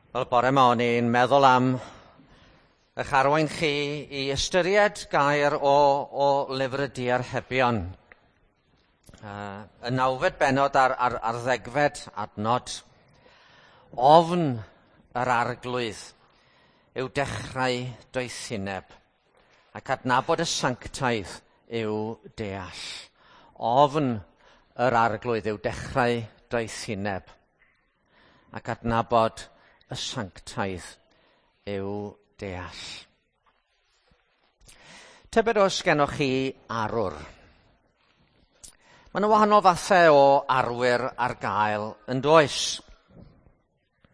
Wel, bore yma o'n i'n meddwl am eich arwain chi i ystyried gair o lyfr y Diarhebion. Y nawfed bennod ar ddegfed adnod. Ofn yr arglwydd yw dechrau doethineb, ac adnabod y sanctaidd yw deall. Ofn yr arglwydd yw dechrau doethineb, ac adnabod y sanctaidd yw deall. Tybed oes gennoch chi arwr? Mae yna wahanol fathau o arwyr ar gael yn does.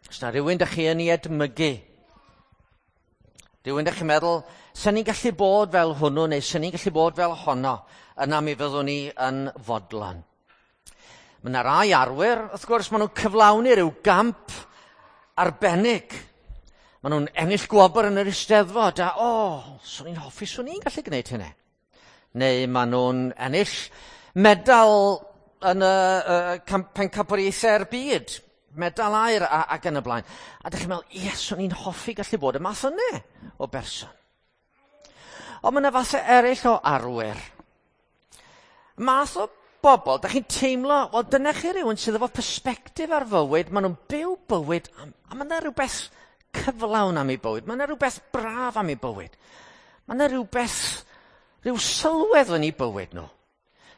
Os na rhywun dych chi yn ei edmygu, rhywun dych chi'n meddwl, sen ni'n gallu bod fel hwnnw neu sen ni'n gallu bod fel honno, yna mi fyddwn ni yn fodlon. Mae yna rai arwyr, wrth gwrs, maen nhw'n cyflawni rhyw gamp arbennig. Maen nhw'n ennill gwobr yn yr Eisteddfod a, o, swn i'n hoffi, swn i'n gallu gwneud hynny. Neu maen nhw'n ennill medal yn y pencampwriaethau'r byd, medal aur ac yn y blaen. A dych chi'n meddwl, ie, swn i'n hoffi gallu bod y math yna o berson. Ond mae yna fathau eraill o arwyr. Math o bobl, dych chi'n teimlo, wel, dyna chi rhywun sydd efo persbectif ar fywyd, maen nhw'n byw bywyd, a mae yna rhywbeth cyflawn am eu bywyd, mae yna rhywbeth braf am eu bywyd, mae yna rhywbeth, rhyw sylwedd yn eu bywyd nhw.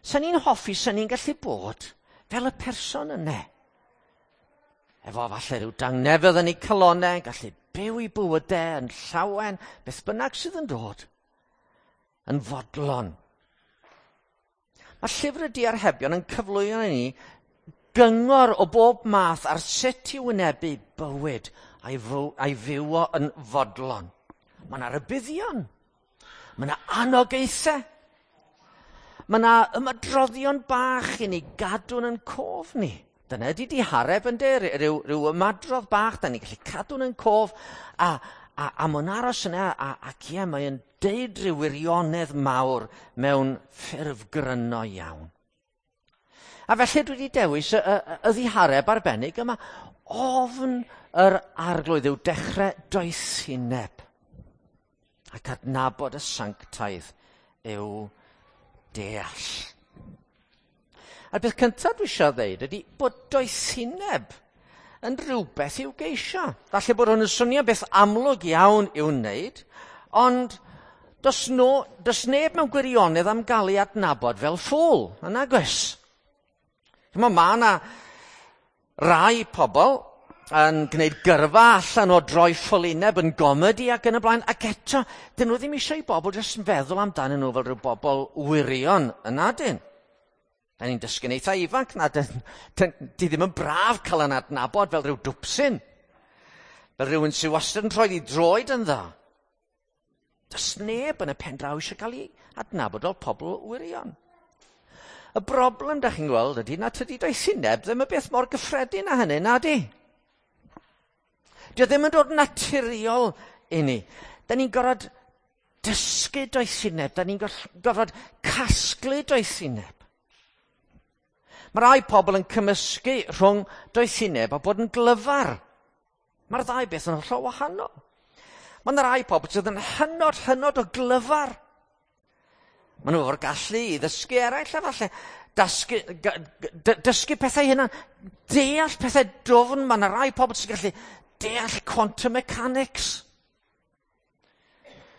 Sen ni'n hoffi, sen ni'n gallu bod fel y person yna. Efo falle rhyw dangnefedd yn eu calonau, gallu byw eu bywydau yn llawen, beth bynnag sydd yn dod, yn fodlon. Mae llyfr y Diarhebion yn cyflwyno i ni gyngor o bob math ar sut i wynebu bywyd a'i fyw o yn fodlon. Mae yna rybuddion, mae yna anogaethau, mae yna ymadroddion bach i ni gadw'n yn cof ni. Dyna ydy dihareb yn de, rhyw ymadrodd bach, da ni'n gallu cadw'n yn cof, a mae'n aros yna, ac ie, mae'n deud rhyw wirionedd mawr mewn ffurf gryno iawn. A felly dwi wedi dewis y ddihareb arbennig yma. Ofn yr arglwydd yw dechrau doethineb, ac adnabod y sanctaidd yw deall. A'r beth cyntaf dwi eisiau ddeud ydy bod doethineb yn rhywbeth i'w geisio. Falle bod hwn yn swnio beth amlwg iawn i'w wneud, ond does neb mewn gwirionedd am gael ei adnabod fel ffŵl, yn nag oes? Mae yna rai pobl yn gwneud gyrfa allan o droi ffolineb yn gomedi ac yn y blaen, ac eto, dyn nhw ddim eisiau i bobl jyst yn feddwl amdanyn nhw fel rhyw bobl wirion yn adyn. Da ni'n dysgu'n eitha ifanc na, di ddim yn braf cael yn adnabod fel rhyw dwpsyn, fel rhywun sydd wastad yn troi ei droed yn dda. Does neb yn y pen draw eisiau cael ei adnabod fel pobl wirion. Y broblem da chi'n gweld ydy na tydi doethineb ddim y beth mor gyffredin â hynny, na di. Dio ddim yn dod naturiol i ni. Da ni'n gorfod dysgu doethineb, da ni'n gorfod casglu doethineb. Mae rai pobl yn cymysgu rhwng doethineb a bod yn glyfar. Mae'r ddau beth yn hollol wahanol. Mae yna rai pobl sydd yn hynod, hynod o glyfar. Maen nhw efo'r gallu i ddysgu eraill a falle dysgu pethau hynna, deall pethau dwfn. Mae yna rai pobl sy'n gallu deall quantum mechanics.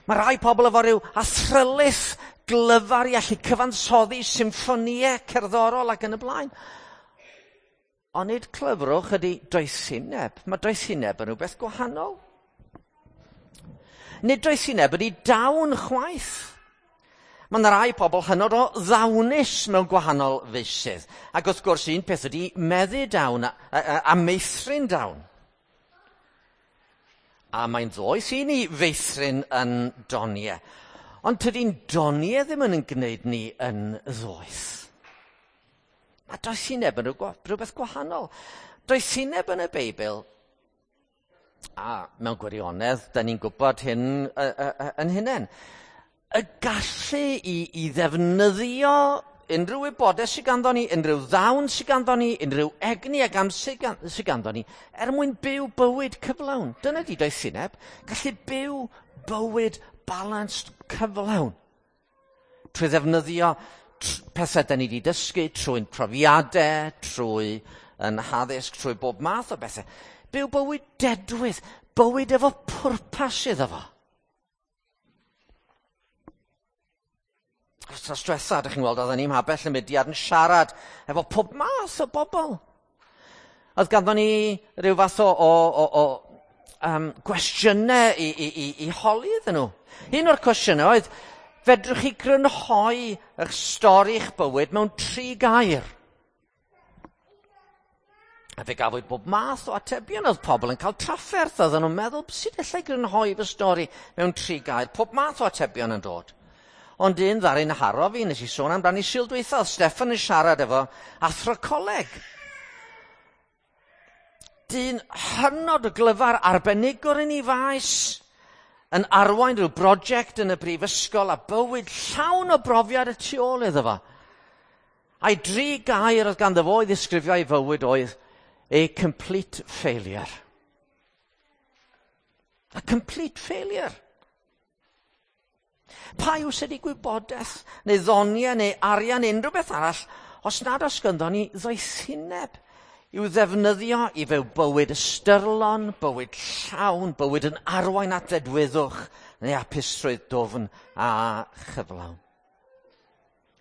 Mae rai pobl efo rhyw athrylith glyfar i allu cyfansoddi symffonïau cerddorol ac yn y blaen. Ond nid clyfrwch ydy doethineb. Mae doethineb yn rhywbeth gwahanol. Nid doethineb ydy dawn chwaith. Mae yna rai pobl hynod o ddawnus mewn gwahanol feysydd. Ac wrth gwrs un peth ydy meddu dawn a meithrin dawn. A mae'n ddoeth i ni feithrin yn doniau. Ond tydi'n doniau ddim yn gwneud ni yn ddoeth. Mae doethineb yn rhywbeth gwahanol. Doethineb yn y Beibl, a mewn gwirionedd, da ni'n gwybod hyn yn hunain, y gallu i ddefnyddio unrhyw wybodaeth sydd ganddo ni, unrhyw ddawn sydd ganddo ni, unrhyw egni ac amser sydd ganddo ni, er mwyn byw bywyd cyflawn. Dyna di doethineb, gallu byw bywyd balanced cyflawn. Trwy ddefnyddio pethau da ni wedi dysgu, trwy'n profiadau, trwy yn haddysg, trwy bob math o bethau. Byw bywyd dedwydd, bywyd efo pwrpas iddo fo. Wythnos diwetha, ydych chi'n gweld, oedden ni'n mhabell y mudiad yn siarad efo pob math o bobl. Oedd ganddo ni rhyw fath o gwestiynau i holi iddyn nhw. Un o'r cwestiynau oedd, fedrwch chi grynhoi eich stori eich bywyd mewn 3 gair? A fe gafwyd bob math o atebion. Oedd pobl yn cael trafferth, oedden nhw'n meddwl, sut allai grynhoi fy stori mewn 3 gair? Pob math o atebion yn dod. Ond un ddaru'n haro fi, nes i sôn amdani Sul dwytha, oedd Steffan yn siarad efo athro coleg. Dyn hynod o glyfar, arbenigwr yn ei faes, yn arwain rhyw brosiect yn y brifysgol a bywyd llawn o brofiad y tu ôl iddo fo. A'i 3 gair oedd ganddo fo i ddisgrifio ei fywyd oedd a complete failure. A complete failure. Pa yw sydd i gwybodaeth, neu ddoniau, neu arian, neu unrhyw beth arall, os nad oes ganddo ni ddoethineb i'w ddefnyddio i fyw bywyd ystyrlon, bywyd llawn, bywyd yn arwain at ddedwyddwch neu hapusrwydd dwfn a chyflawn.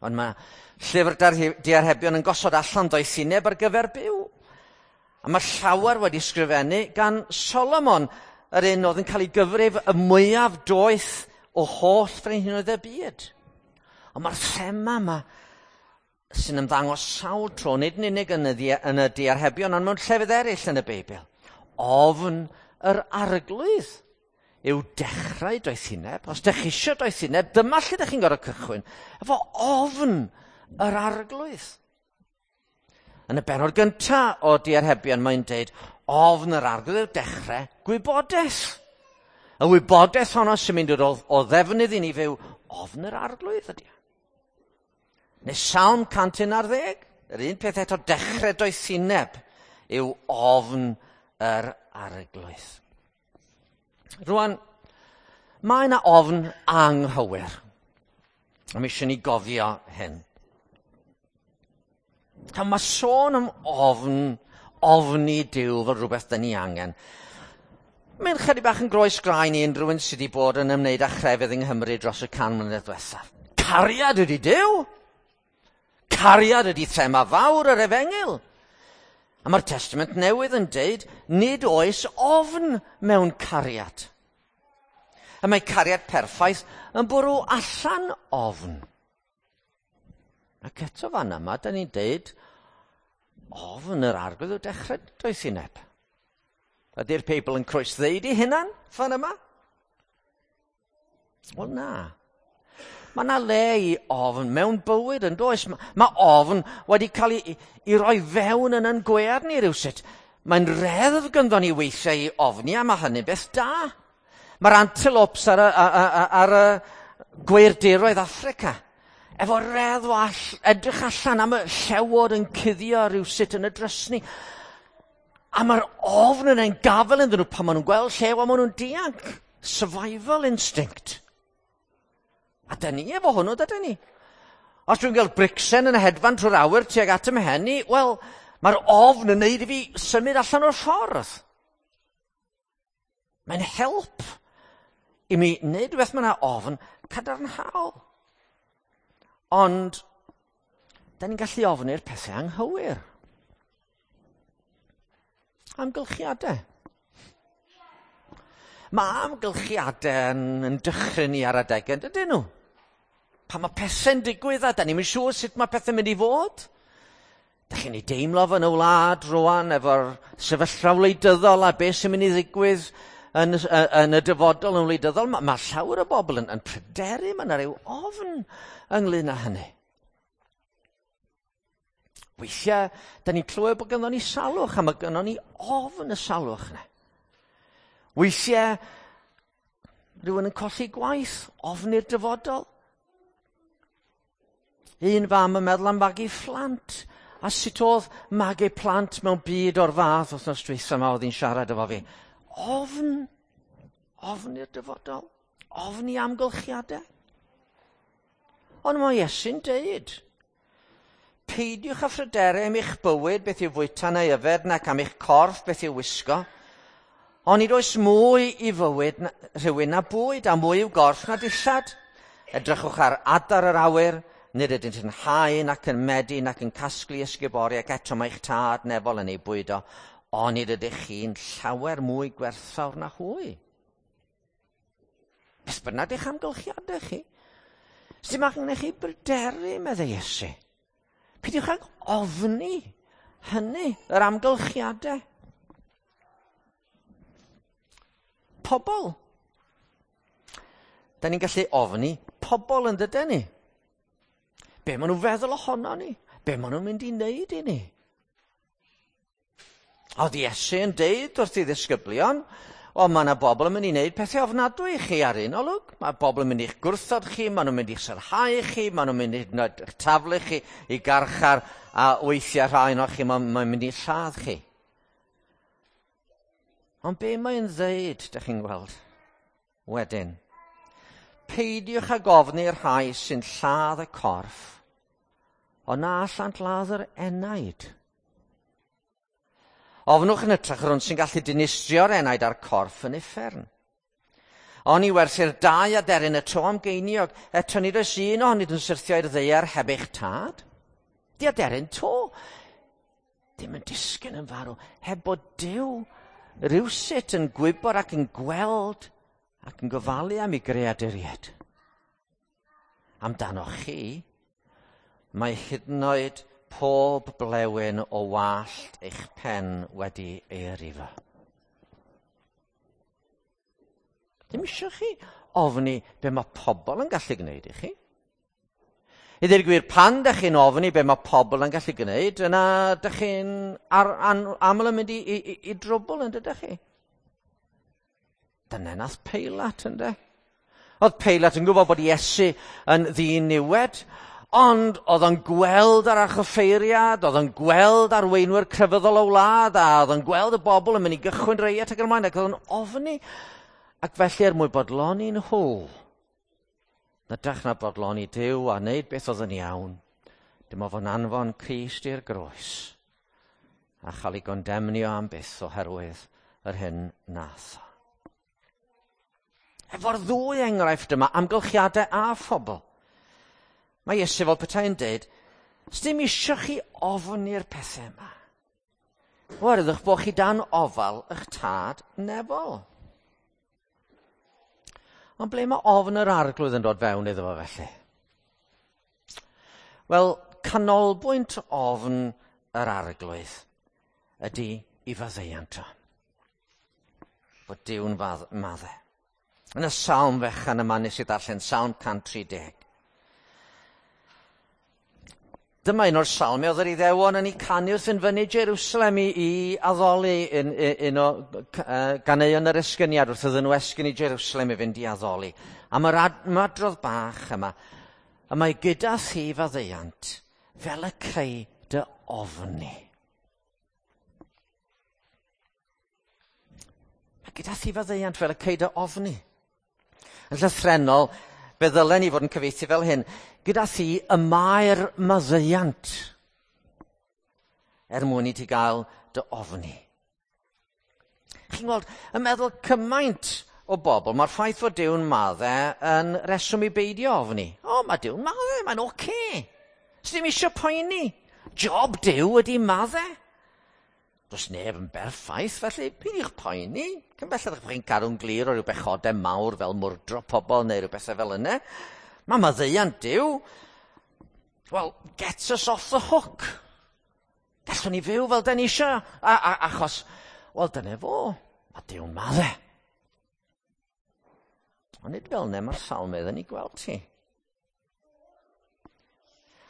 Ond mae llyfr diarhebion yn gosod allan doethineb ar gyfer byw. A mae llawer wedi sgrifennu gan Solomon, yr un oedd yn cael ei gyfrif y mwyaf doeth o holl frenhinoedd y byd. Ond mae'r thema yma sy'n ymddangos sawl tro, nid yn unig yn y diarhebion, ond mewn llefydd eraill yn y Beibl. Ofn yr arglwydd yw dechrau doethineb. Os dych chi eisiau doethineb, dyma lle dych chi'n gorfod cychwyn, efo ofn yr arglwydd. Yn y bennod gyntaf o diarhebion, mae'n deud, ofn yr arglwydd yw dechrau gwybodaeth. Y wybodaeth honno sy'n mynd o ddefnydd i ni fyw, ofn yr arglwydd ydy. Neu Salm 111, yr un peth eto, dechrau doethineb yw ofn yr arglwydd. Rwan, mae yna ofn anghywir. A mi eisiau ni gofio hyn. A mae sôn am ofn, ofni Duw fel rhywbeth dyn ni angen. Mae'n chydig bach yn groes graen i unrhyw un sydd wedi bod yn ymwneud â chrefydd yng Nghymru dros y 100 mlynedd diwethaf. Cariad ydy Duw! Cariad ydy thema fawr yr efengyl. A mae'r Testament Newydd yn deud, nid oes ofn mewn cariad. A mae cariad perffaith yn bwrw allan ofn. Ac eto fan yma, da ni'n deud, ofn yr arglwydd yw dechrau doethineb. Ydy'r Beibl yn croesddeud i hunan fan yma? Wel na. Mae yna le i ofn mewn bywyd yn does. Mae ofn wedi cael ei roi fewn yn yn gwead ni rywsut. Mae'n reddf ganddo ni weithiau i ofni, a mae hynny'n beth da. Mae'r antelopes ar y gweirdiroedd Affrica efo reddf o edrych allan am y llewod yn cuddio rywsut yn y drysni. A mae'r ofn yn ein gafel iddyn nhw pan maen nhw'n gweld llew a maen nhw'n dianc. Survival instinct. A da ni efo hwnnw, dydyn ni. Os dwi'n gweld bricsen yn hedfan trwy'r awyr tuag at 'y mhen i, wel, mae'r ofn yn neud i fi symud allan o'r ffordd. Mae'n help i mi wneud rhywbeth mae yna ofn cadarnhaol. Ond, da ni'n gallu ofni'r pethau anghywir. Amgylchiadau. Mae amgylchiadau yn dychryn ni ar adegau, dydyn nhw? Pan mae pethau'n digwydd a da ni'm yn siŵr sut mae pethau'n mynd i fod. Da chi'n ei deimlo fo yn y wlad rwan efo'r sefyllfa wleidyddol a beth sy'n mynd i ddigwydd yn y dyfodol yn wleidyddol. Mae llawer o bobl yn pryderu, mae yna ryw ofn ynglyn â hynny. Weithiau, da ni'n clywed bod gynnon ni salwch, a mae gynnon ni ofn y salwch yna. Weithiau, rhywun yn colli gwaith, ofn i'r dyfodol. Un fam yn meddwl am fagu phlant. A sut oedd magu plant mewn byd o'r fath wythnos dwytha yma oedd hi'n siarad efo fi. Ofn. Ofn i'r dyfodol. Ofn i amgylchiadau. Ond mae Iesu'n deud, peidiwch â phryderu am eich bywyd, beth yw fwyta neu yfed, nac am eich corff, beth yw wisgo. Ond nid oes mwy i fywyd rhywun na bwyd, a mwy i'w gorff na dillad. Edrychwch ar adar yr awyr, nid ydynt yn hau nac yn medi nac yn casglu ysgubori, ac eto mae eich tad nefol yn ei bwydo. Ond nid ydych chi'n llawer mwy gwerthfawr na hwy. Beth bynnag eich amgylchiadau chi. Sdim angen i chi bryderu, meddai Iesu. Peidiwch ag ofni hynny, yr amgylchiadau. Pobl. Da ni'n gallu ofni pobl yn dydyn ni. Be maen nhw'n feddwl ohono ni? Be maen nhw'n mynd i wneud i ni? Oedd Iesu yn deud wrth ei ddisgyblion, o, mae yna bobl yn mynd i wneud pethau ofnadwy i chi ar un olwg. Mae bobl yn mynd i'ch gwrthod chi, maen nhw'n mynd i'ch sarhau chi, maen nhw'n mynd i'ch taflu chi i garchar, a weithiau rhai ohonoch chi, mae'n mynd i lladd chi. Ond be mae'n ddeud, dych chi'n gweld, wedyn? Peidiwch ag ofni'r rhai sy'n lladd y corff, ond na allant ladd yr enaid. Ofnwch yn hytrach yr hwn sy'n gallu dinistrio'r enaid a'r corff yn uffern. Oni werthir dau aderyn y to am geiniog, eto nid oes un ohonynt yn syrthio i'r ddaear heb eich tad. Di aderyn to ddim yn disgyn yn farw, heb bod Duw rywsut yn gwybod ac yn gweld ac yn gofalu am ei greaduriaid. Amdanoch chi, mae hyd yn oed pob blewyn o wallt eich pen wedi ei rifo. Ddim eisiau chi ofni be mae pobl yn gallu gwneud i chi. I ddweud y gwir, pan dych chi'n ofni be mae pobl yn gallu gwneud, yna dych chi'n aml yn mynd i drwbl yn dydych chi. Dyna nath Peilat, ynde? Oedd Peilat yn gwybod bod Iesu yn ddiniwed, ond oedd o'n gweld yr archoffeiriad, oedd o'n gweld arweinwyr crefyddol y wlad, a oedd o'n gweld y bobl yn mynd i gychwyn reiat ac yn ymlaen, ac oedd o'n ofni. Ac felly er mwyn bodloni nhw, na dach na bodloni Duw a wneud beth oedd yn iawn, dim ond fo'n anfon Crist i'r groes a chael ei gondemnio am byth oherwydd yr hyn nath o. Efo'r ddwy enghraifft yma, amgylchiadau a phobl, mae Iesu fel petai'n deud, sdim isio chi ofni'r pethau yma. Oherwydd eich bod chi dan ofal eich tad nefol. Ond ble mae ofn yr arglwydd yn dod fewn iddo fo felly? Wel, canolbwynt ofn yr arglwydd ydy i faddeuant o. Bod Duw'n maddau. Yn y salm fechan yma nes i ddarllen, Salm 130. Dyma un o'r salmau oedd yr Iddewon yn ei canu wrth yn fyny Jerusalem i addoli un o ganeuon yr esgyniad wrth iddyn nhw esgyn i Jerusalem i fynd i addoli. A mae'r ymadrodd bach yma, y mae gyda thi faddeuant fel y creu dy ofni. Mae gyda thi faddeuant fel y creu dy ofni. Yn llythrennol, fe ddylen ni fod yn cyfieithu fel hyn, gyda thi y mae'r maddeuant er mwyn i ti gael dy ofni. Chi'n gweld, yn meddwl cymaint o bobl, mae'r ffaith fod Duw'n maddau yn reswm i beidio ofni. O, mae Duw'n maddau, mae'n oce. Sdim isio poeni. Job Duw ydi maddau. Does neb yn berffaith, felly peidiwch poeni. Cyn belled eich bod chi'n cadw'n glir o ryw bechodau mawr fel mwrdro pobl neu ryw bethau fel yna. Mae maddeuant Duw, well, gets us off the hook. Gallwn ni fyw fel da ni isio, achos, wel, dyna fo, mae Duw'n maddau. Ond nid fel yna mae'r salmydd yn ei gweld ti.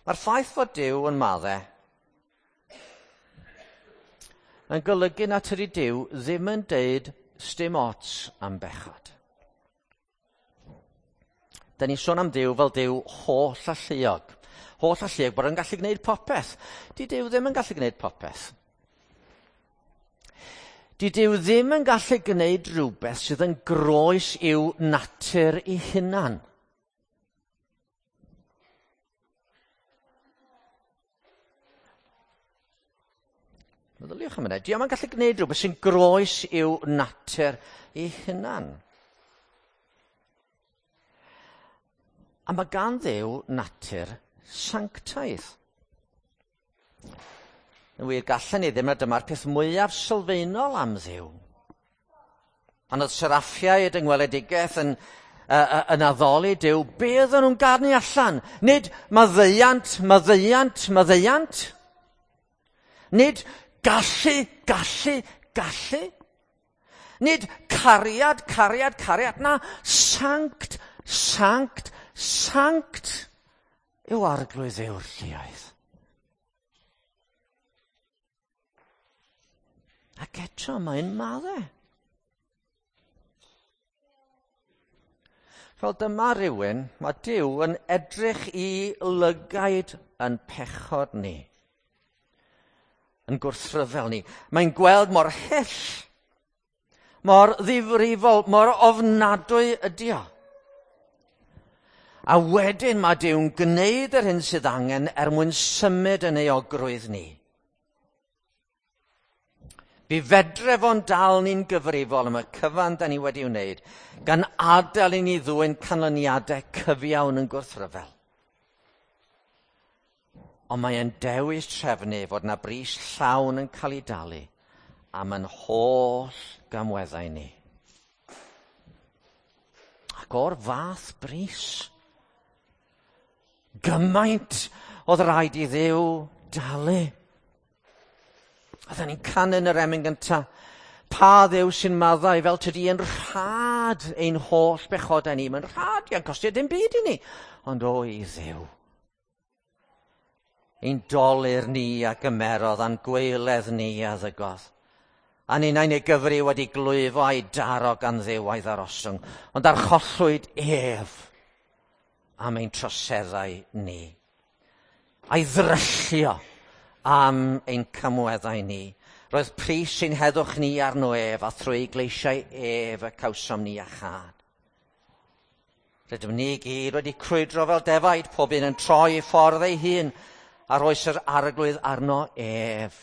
Mae'r ffaith fod Duw yn maddau yn golygu na tydi Duw ddim yn deud sdim ots am bechod. Da ni'n sôn am Duw fel Duw holl alluog. holl alluog bod yn gallu gwneud popeth. Di Duw ddim yn gallu gwneud popeth. Di Duw ddim yn gallu gwneud rhywbeth sydd yn groes i'w natur ei hunan. Meddyliwch am hynny. Di o'm yn gallu gwneud rhywbeth sy'n groes i'w natur ei hunan. A mae gan Dduw natur sanctaidd. Yn wir, gallen ni ddim, a dyma'r peth mwyaf sylfaenol am Dduw. Pan oedd seraffiaid yng ngweledigaeth yn addoli Duw, be oedden nhw'n garnu allan? Nid maddeuant, maddeuant, maddeuant. Nid gallu, gallu, gallu. Nid cariad, cariad, cariad. Na, sanct, sanct, sanct yw Arglwydd Dduw'r lluoedd. Ac eto mae'n madde. Fel dyma rhywun, mae Duw yn edrych i lygaid yn pechod ni, yn gwrthryfel ni. Mae'n gweld mor hyll, mor ddifrifol, mor ofnadwy ydi o. A wedyn mae Duw'n gwneud yr hyn sydd angen er mwyn symud yn ei ogrwydd ni. Fi fedre fo'n dal ni'n gyfrifol am y cyfan da ni wedi wneud, gan adael i ni ddwyn canlyniadau cyfiawn yn gwrthryfel. Ond mae e'n dewis trefnu fod na bris llawn yn cael ei dalu am yn holl gamweddau ni. Ac o'r fath bris, gymaint oedd rhaid i Dduw dalu. Oedden ni'n canu yn yr emyn gyntaf, pa Dduw sy'n maddau fel tydi yn rhad ein holl bechodau ni. Mae'n rhad, ia'n costio dim byd i ni. Ond o i Dduw, ein dolur ni a gymerodd, a'n gwaeledd ni a ddygodd. A ninnau'n ei gyfri wedi glwyfo a'i daro gan Dduw a'i ddarostwng, ond archollwyd ef am ein troseddau ni. A'i ddryllio am ein camweddau ni. Roedd pris ein heddwch ni arno ef, a thrwy gleisiau ef y cawsom ni iachâd. Rydym ni gyd wedi crwydro fel defaid, pob un yn troi ei ffordd ei hun, a roes yr Arglwydd arno ef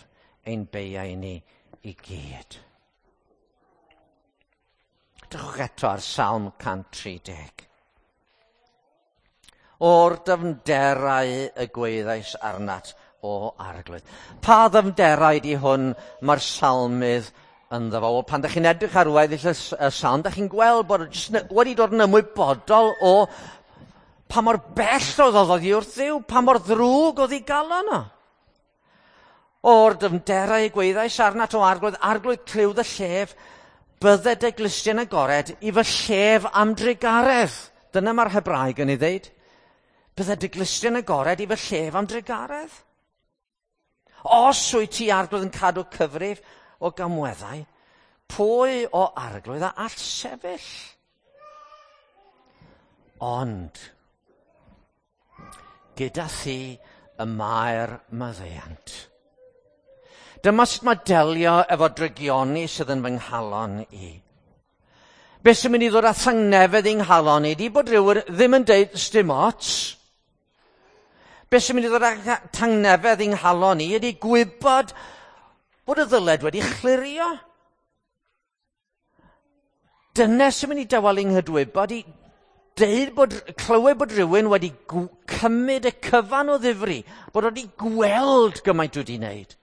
ein beiau ni i gyd. Drychwch eto ar Salm 130. O'r dyfnderau y gwaeddais arnat, o Arglwydd. Pa ddyfnderau di hwn mae'r salmydd ynddo fo? Wel, pan ydych chi'n edrych ar weddill y salm, ydych chi'n gweld bod jyst wedi dod yn ymwybodol o pa mor bell oedd oddi wrth Dduw, pa mor ddrwg oedd ei galon o. O'r dyfnderau y gwaeddais arnat o Arglwydd, Arglwydd clyw dy llef, bydded dy glustien agored i fy llef am drugaredd. Dyna mae'r Hebraeg yn ei ddeud. Bydded dy glustien agored i fy llef am drugaredd. Os wyt ti Arglwydd yn cadw cyfrif o gamweddau, pwy o Arglwydd a all sefyll? Ond gyda thi y mae'r maddeuant. Dyma sut mae delio efo drygioni sydd yn fy nghalon i. Beth sy'n mynd i ddod â thangnefedd i'n nghalon i, di bod rhywun ddim yn deud sdim ots. Beth sy'n mynd i ddod â tangnefedd i'n nghalon i ydy gwybod bod y ddyled wedi chlirio. Dyna sy'n mynd i dawelu nghydwybod i deud bod, clywed bod rhywun wedi cymryd y cyfan o ddifri, bod wedi gweld gymaint wedi wneud.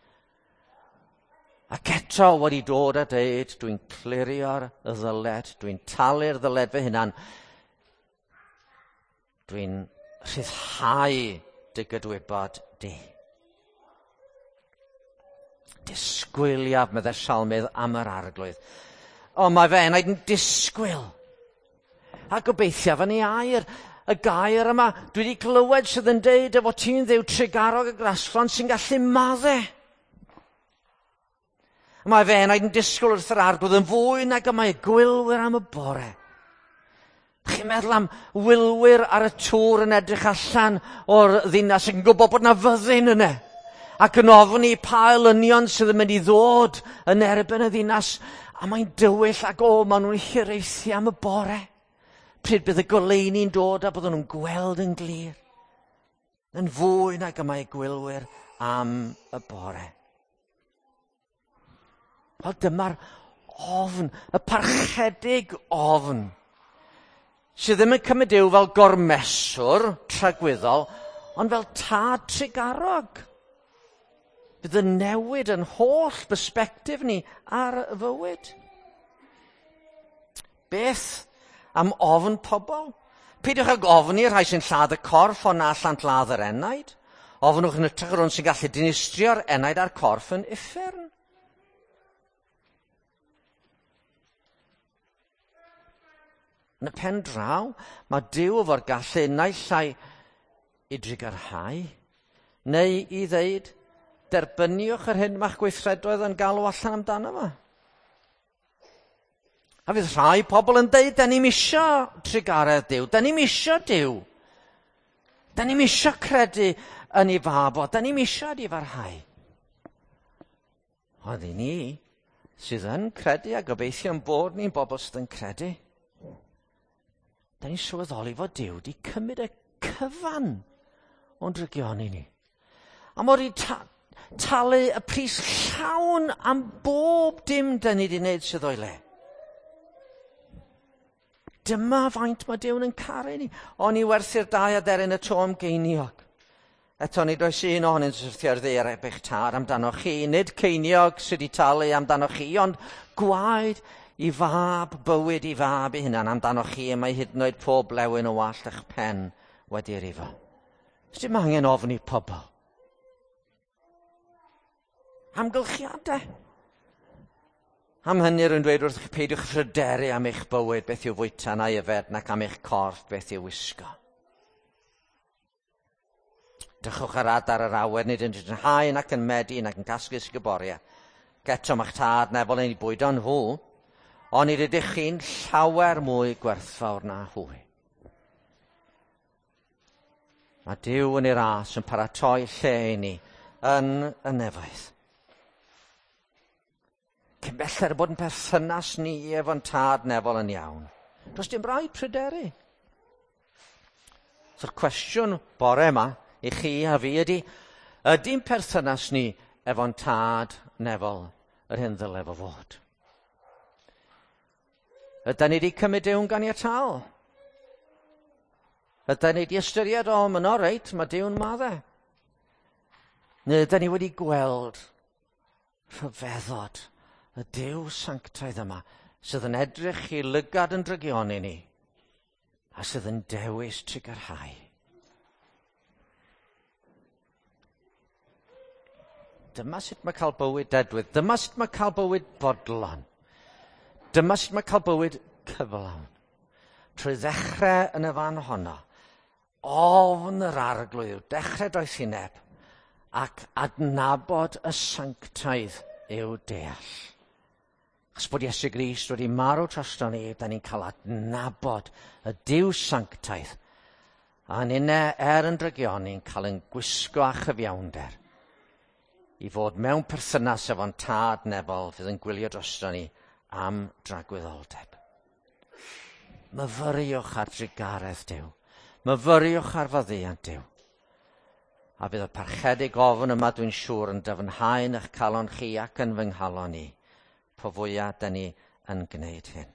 Ac eto wedi dod a deud, dwi'n clirio'r ddyled, dwi'n talu'r ddyled fy hunan, dwi'n rhyddhau dy gydwybod di. Disgwyliaf, meddai'r salmydd, am yr Arglwydd. O, mae fe enaid yn disgwyl. A gobeithiaf yn ei air, y gair yma, dwi wedi clywed sydd yn deud efo ti'n Dduw trugarog y graslon sy'n gallu madde. Mae fe enaid yn disgwyl wrth yr Arglwydd yn fwy nag y mae gwylwyr am y bore. Chi'n meddwl am wylwyr ar y tŵr yn edrych allan o'r ddinas ac yn gwybod bod 'na fyddin yna, ac yn ofni pa elynion sydd yn mynd i ddod yn erbyn y ddinas, a mae'n dywyll ac o, maen nhw'n hiraethu am y bore. Pryd bydd y goleuni'n dod a byddwn nhw'n gweld yn glir. Yn fwy nag y mae gwylwyr am y bore. Wel, dyma'r ofn, y parchedig ofn, sydd ddim yn cymryd Duw fel gormeswr tragwyddol, ond fel tad trugarog. Bydd yn newid yn holl bersbectif ni ar y fywyd. Beth am ofn pobl? Peidiwch ag ofni rhai sy'n lladd y corff ond na allant ladd yr enaid. Ofnwch yn hytrach yr hwn sy'n gallu dinistrio'r enaid a'r corff yn uffern. Yn y pen draw, mae Duw efo'r gallu naill ai i drugarhau, neu i ddeud, derbyniwch yr hyn mae'ch gweithredoedd yn galw allan amdano fo. A fydd rhai pobl yn deud, da ni'm isio trugaredd Duw, da ni'm isio Duw. Da ni'm isio credu yn ei fab o, da ni'm isio edifarhau. Ond i ni, sydd yn credu a gobeithio'n bod ni'n bobl sydd yn credu, da ni'n sylweddoli fod Duw wedi cymryd y cyfan o'n drygioni ni. A mod i talu y pris llawn am bob dim da ni wedi wneud sydd o'i le. Dyma faint mae Duw'n yn caru ni. O'n i werthu'r dau aderyn y to am geiniog. Eto nid oes un ohonynt yn syrthio ar ddaear heb eich tad amdanoch chi. Nid ceiniog sydd wedi talu amdanoch chi, ond gwaed i fab, bywyd i fab ei hunan amdanoch chi, y mae hyd yn oed pob blewyn o wallt eich pen wedi rifo. Sdim angen ofni pobl. Amgylchiadau. Am hynny rwy'n dweud wrthych chi, peidiwch phryderu am eich bywyd, beth yw fwyta na'i yfed, nac am eich corff, beth yw wisgo. Drychwch ar adar yr awyr, nid yn hau nac yn medi nac yn casglu sguboriau. Geto ma'ch tad nefol yn ei bwydo nhw, ond nid ydych chi'n llawer mwy gwerthfawr na hwy. Mae Duw yn ei ras yn paratoi lle i ni yn y nefoedd. Cyn belled bod yn perthynas ni efo'n tad nefol yn iawn. Does dim rhaid pryderu. So'r cwestiwn bore yma i chi a fi ydy, ydy'n perthynas ni efo'n tad nefol yr hyn ddyle fo fod? Ydy ni wedi cymryd Duw'n ganiataol? Ydy ni wedi ystyried, o, mae'n o reit, mae Duw'n madde? Neu ydy ni wedi gweld rhyfeddod y Duw sanctaidd yma sydd yn edrych i lygad yn drygioni ni a sydd yn dewis trugarhau? Dyma sut mae cael bywyd dedwydd. Dyma sut mae cael bywyd bodlon. Dyma sut mae cael bywyd cyflawn. Trwy ddechrau yn y fan honno, ofn yr arglwydd yw dechrau doethineb ac adnabod y sanctaidd yw deall. Achos bod Iesu Grist wedi marw drosto ni, da ni'n cael adnabod y Duw sanctaidd. A ninne, er yn drygioni, ni'n cael yn gwisgo â chyfiawnder i fod mewn perthynas efo'n tad nefol fydd yn gwylio drosto ni am dragwyddoldeb. Myfyriwch ar drugaredd Duw. Myfyriwch ar faddeuant Duw. A bydd y parchedig ofn yma, dwi'n siŵr, yn dyfnhau yn eich calon chi ac yn fy nghalon i, po fwyaf da ni yn gwneud hyn.